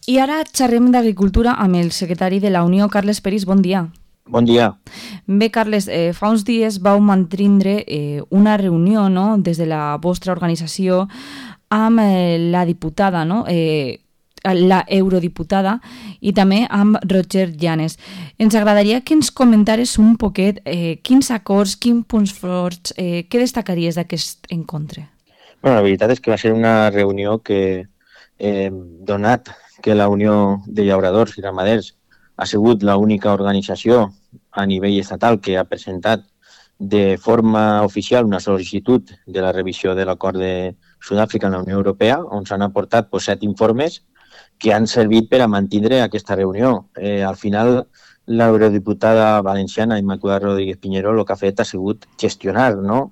I ara xerrem d'agricultura amb el secretari de la Unió, Carles Peris. Bon dia. Bon dia. Bé, Carles, fa uns dies vau mantindre una reunió, no?, des de la vostra organització amb la diputada, no?, la eurodiputada, i també amb Roger Llanes. Ens agradaria que ens comentares un poquet quins acords, quins punts forts, què destacaries d'aquest encontre? Bueno, la veritat és que va ser una reunió que, donat que la Unió de Llauradors i Ramaders ha sigut l'única organització a nivell estatal que ha presentat de forma oficial una sol·licitud de la revisió de l'acord de Sud-àfrica en la Unió Europea, on s'han aportat 7 informes que han servit per a mantenir aquesta reunió. Al final, l'eurodiputada valenciana Immaculada Rodríguez Piñero el que ha fet ha sigut gestionar, no?,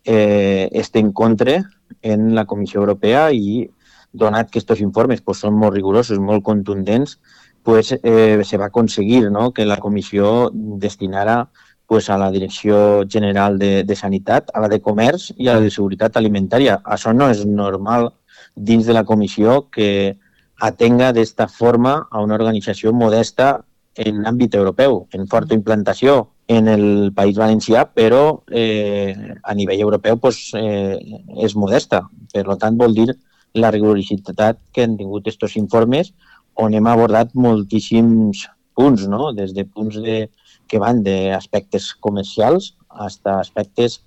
este encontre en la Comissió Europea, i donat que aquests informes són molt rigorosos, molt contundents, se va aconseguir, no?, que la Comissió destinara a la Direcció General de Sanitat, a la de Comerç i a la de Seguretat Alimentària. Això no és normal dins de la Comissió que atenga d'esta forma a una organització modesta en l'àmbit europeu, en forta implantació en el País Valencià, però a nivell europeu és modesta. Per tant, vol dir la rigorositat que han tingut aquests informes, on hem abordat moltíssims punts, no?, des de punts que van d'aspectes comercials fins a aspectes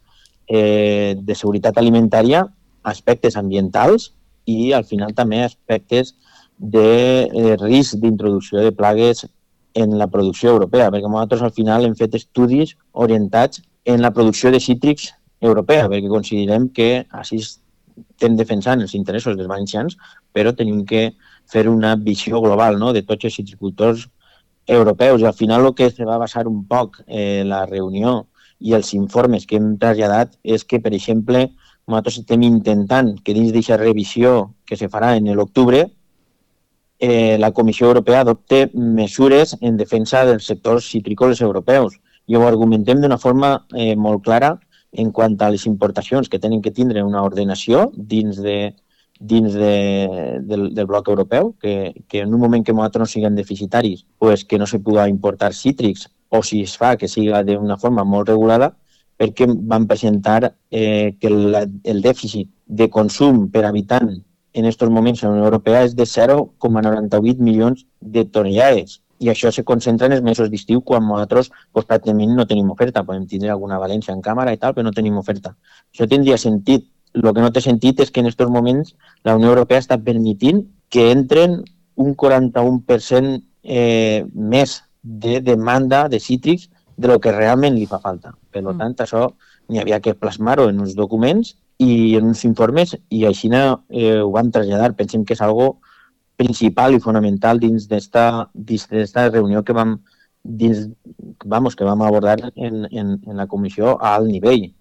de seguretat alimentària, aspectes ambientals i, al final, també aspectes de risc d'introducció de plagues en la producció europea, perquè nosaltres al final hem fet estudis orientats en la producció de cítrics europea, perquè considerem que així estem defensant els interessos dels valencians, però tenim que fer una visió global, no?, de tots els citricultors europeus. I al final el que se va basar un poc la reunió i els informes que hem traslladat és que, per exemple, nosaltres estem intentant que dins d'aquesta revisió que se farà en l'octubre la Comissió Europea adopte mesures en defensa dels sectors citrícoles europeus. I ho argumentem d'una forma molt clara en quant a les importacions que tenen que tindre una ordenació dins del bloc europeu, que en un moment que nosaltres no siguem deficitaris, que no se pugui importar cítrics, o si es fa que siga d'una forma molt regulada, perquè van presentar que el dèficit de consum per habitant en aquests moments en la Unió Europea és de 0,98 milions de tonelades. I això se concentra en els mesos d'estiu, quan nosaltres pràcticament no tenim oferta. Podem tindre alguna València en càmera i tal, però no tenim oferta. Això tindria sentit. El que no té sentit és que en aquests moments la Unió Europea està permitint que entren un 41% més de demanda de cítrics de lo que realment li fa falta. Per tant, això n'hi havia que plasmar-ho en uns documents i en uns informes, i així ho vam traslladar. Pensem que és algo principal i fonamental dins d'esta reunió que vam abordar en la comissió a alt nivell.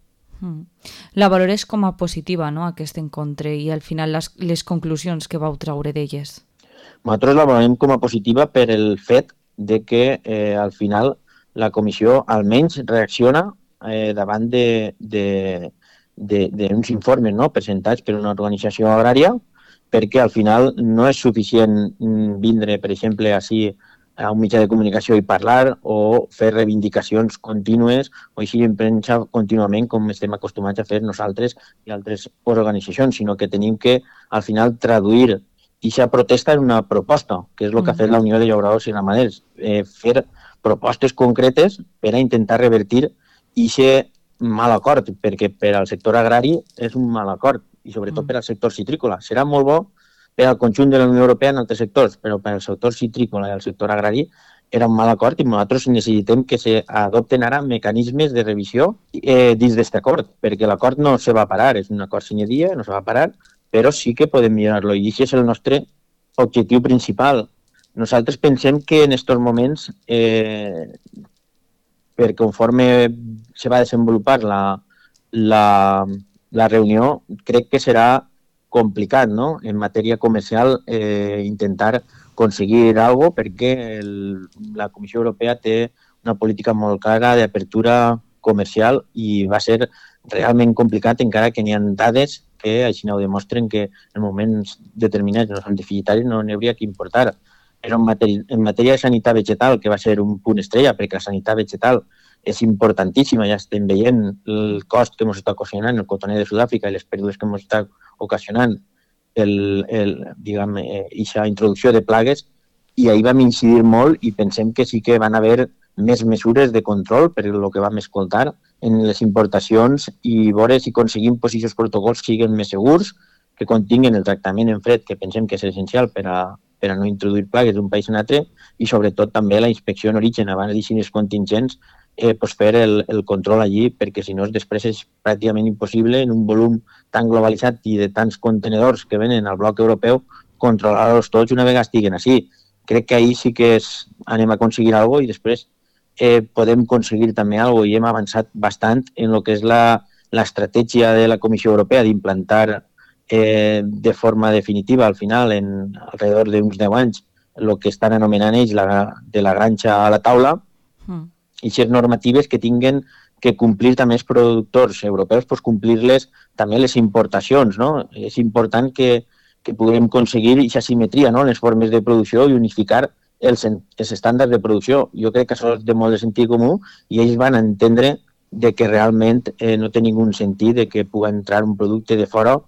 La valores com a positiva, no?, aquest encontre, i al final les conclusions que vau traure d'elles. Nosaltres la valorem com a positiva per el fet de que al final la comissió almenys reacciona davant d'uns informes, no?, presentats per una organització agrària, perquè al final no és suficient vindre, per exemple, així a un mitjà de comunicació i parlar o fer reivindicacions contínues o així en premsa contínuament, com estem acostumats a fer nosaltres i altres organitzacions, sinó que tenim que al final traduir aquesta protesta en una proposta, que és el que ha fet la Unió de Llauradors i Ramaders, fer propostes concretes per a intentar revertir aquest mal acord, perquè per al sector agrari és un mal acord, i sobretot per al sector citrícola. Serà molt bo per al conjunt de la Unió Europea en altres sectors, però per al sector citrícola i al sector agrari era un mal acord, i nosaltres necessitem que s'adopten ara mecanismes de revisió dins d'aquest acord, perquè l'acord no se va parar, és un acord sine die, no se va parar, però sí que podem millorar-lo, i aquest és el nostre objectiu principal. Nosaltres pensem que en aquests moments, per conforme se va desenvolupar la reunió, crec que serà complicat, no?, en matèria comercial intentar aconseguir alguna cosa, perquè la Comissió Europea té una política molt clara d'apertura comercial i va ser realment complicat, encara que n'hi ha dades que així ho demostren que en moments determinats en els deficitaris no n'hi hauria que importar. Però en matèria de sanitat vegetal, que va ser un punt estrella, perquè la sanitat vegetal és importantíssima, ja estem veient el cost que ens està ocasionant el cotoner de Sud-àfrica i les pèrdues que ens està ocasionant aquesta introducció de plagues, i ahir vam incidir molt i pensem que sí que van haver més mesures de control, per el que vam escoltar, en les importacions i veure si aconseguim que aquests protocols siguin més segurs, que continguin el tractament en fred, que pensem que és essencial per a no introduir plagues d'un país a un altre, i sobretot també la inspecció en origen abans d'eixir contingents, fer el control allí, perquè si no després és pràcticament impossible en un volum tan globalitzat i de tants contenedors que venen al bloc europeu controlar-los tots una vegada estiguen així. Crec que ahir sí que anem a aconseguir alguna cosa i després podem aconseguir també alguna cosa i hem avançat bastant en el que és l'estratègia de la Comissió Europea d'implantar de forma definitiva al final, en alrededor d'uns 10 anys, el que estan anomenant ells de la granja a la taula, i aquestes normatives que tinguen que complir també els productors europeus, doncs complir-les també les importacions, no? És important que puguem aconseguir aquesta simetria, no?, en les formes de producció i unificar els estàndards de producció. Jo crec que això és de molt de sentit comú i ells van entendre de que realment no té ningú sentit de que pugui entrar un producte de fora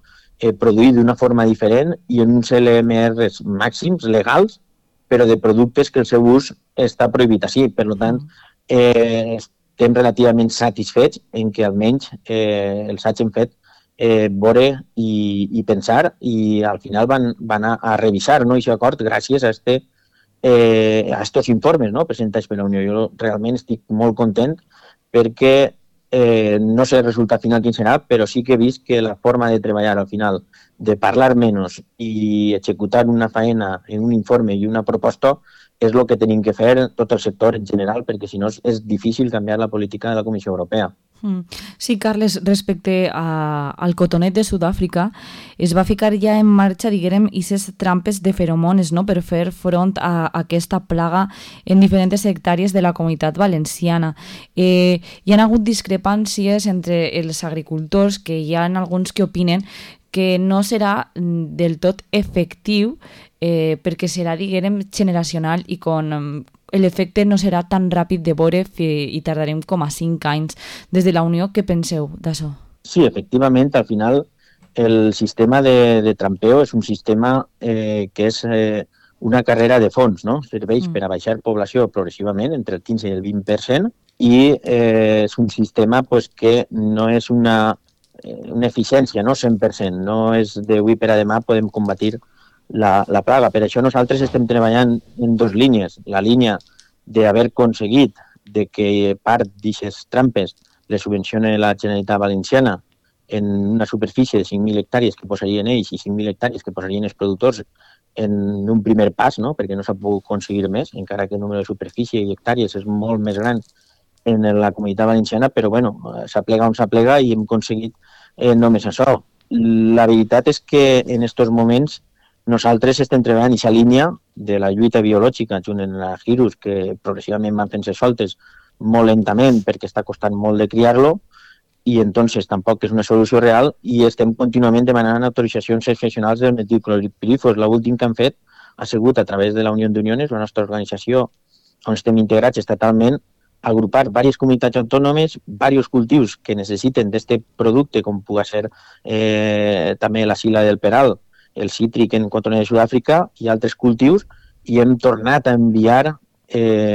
produït d'una forma diferent i en uns LMRs màxims legals, però de productes que el seu ús està prohibit així. Per tant, estem relativament satisfets en que almenys els hagin fet veure i pensar i al final van a revisar aquest acord gràcies a aquests informes, no?, presentats per la Unió. Jo realment estic molt content perquè no sé el resultat final quin serà, però sí que he vist que la forma de treballar al final, de parlar menys i executar una feina en un informe i una proposta, és el que tenim que fer tot el sector en general, perquè si no és difícil canviar la política de la Comissió Europea. Sí, Carles, respecte al cotonet de Sud-àfrica, es va ficar ja en marxa, diguem, aquestes trampes de feromones, no?, per fer front a aquesta plaga en diferents hectàrees de la Comunitat Valenciana. Hi ha hagut discrepàncies entre els agricultors, que hi ha alguns que opinen que no serà del tot efectiu perquè serà, diguem, generacional i l'efecte no serà tan ràpid de veure i tardarem com a 5 anys. Des de la Unió, què penseu d'això? Sí, efectivament, al final el sistema de trampeo és un sistema que és una carrera de fons, no? Serveix per a baixar població progressivament entre el 15 i el 20% i és un sistema que no és una eficiència, no 100%, no és d'avui per a demà podem combatir la plaga. Per això nosaltres estem treballant en 2 línies. La línia d'haver aconseguit que part d'aquestes trampes les subvenciona la Generalitat Valenciana en una superfície de 5.000 hectàrees que posarien ells i 5.000 hectàrees que posarien els productors en un primer pas, no?, perquè no s'ha pogut aconseguir més, encara que el número de superfície i hectàrees és molt més gran en la Comunitat Valenciana, però bueno, s'aplega on s'aplega i hem aconseguit només això. La veritat és que en aquests moments nosaltres estem treballant en aquesta línia de la lluita biològica junt amb la Hirus, que progressivament van fent-se soltes molt lentament perquè està costant molt de criar-lo i entonces tampoc és una solució real i estem contínuament demanant autoritzacions excepcionals del metilclorpirifos. L'últim que han fet ha sigut a través de la Unió d'Uniones, la nostra organització on estem integrats estatalment, agrupar diverses comunitats autònomes, diversos cultius que necessiten d'aquest producte, com pugui ser també la sila del peral, el cítric en cotoner de Sud-àfrica i altres cultius, i hem tornat a enviar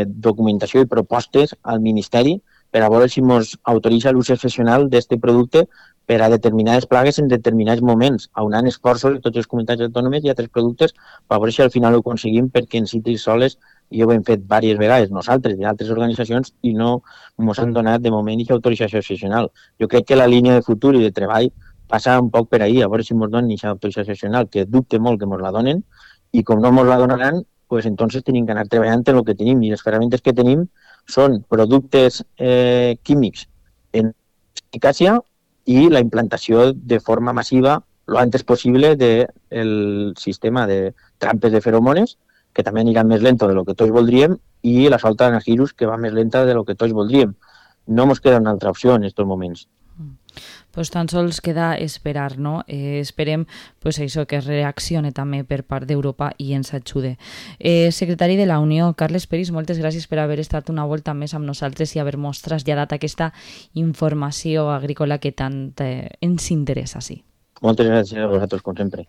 documentació i propostes al Ministeri per a veure si ens autoritza l'ús excepcional d'aquest producte per a determinades plagues en determinats moments, aunant esforços de totes les comunitats autònomes i altres productes per veure si al final ho aconseguim, perquè en cítrics soles ja ho hem fet diverses vegades nosaltres i altres organitzacions i no ens han donat de moment aquesta autorització excepcional. Jo crec que la línia de futur i de treball passa un poc per ahir, a veure si ens donen aquesta autorització excepcional, que dubte molt que ens la donen, i com no ens la donaran, pues entonces tenim que anar treballant en el que tenim, i les ferramentes que tenim són productes químics en eficàcia i la implantació de forma massiva lo antes possible del sistema de trampes de feromones, que també aniran més lento de lo que tots voldríem, i la solta d'anagirus, que va més lenta de lo que tots voldríem. No ens queda una altra opció en aquests moments. Pues tan sols queda esperar, no? Esperem pues, això que es reaccione també per part d'Europa i ens ajude. Secretari de la Unió, Carles Peris, moltes gràcies per haver estat una volta més amb nosaltres i haver-nos traslladat aquesta informació agrícola que tant ens interessa, sí. Moltes gràcies a vosaltres, com sempre.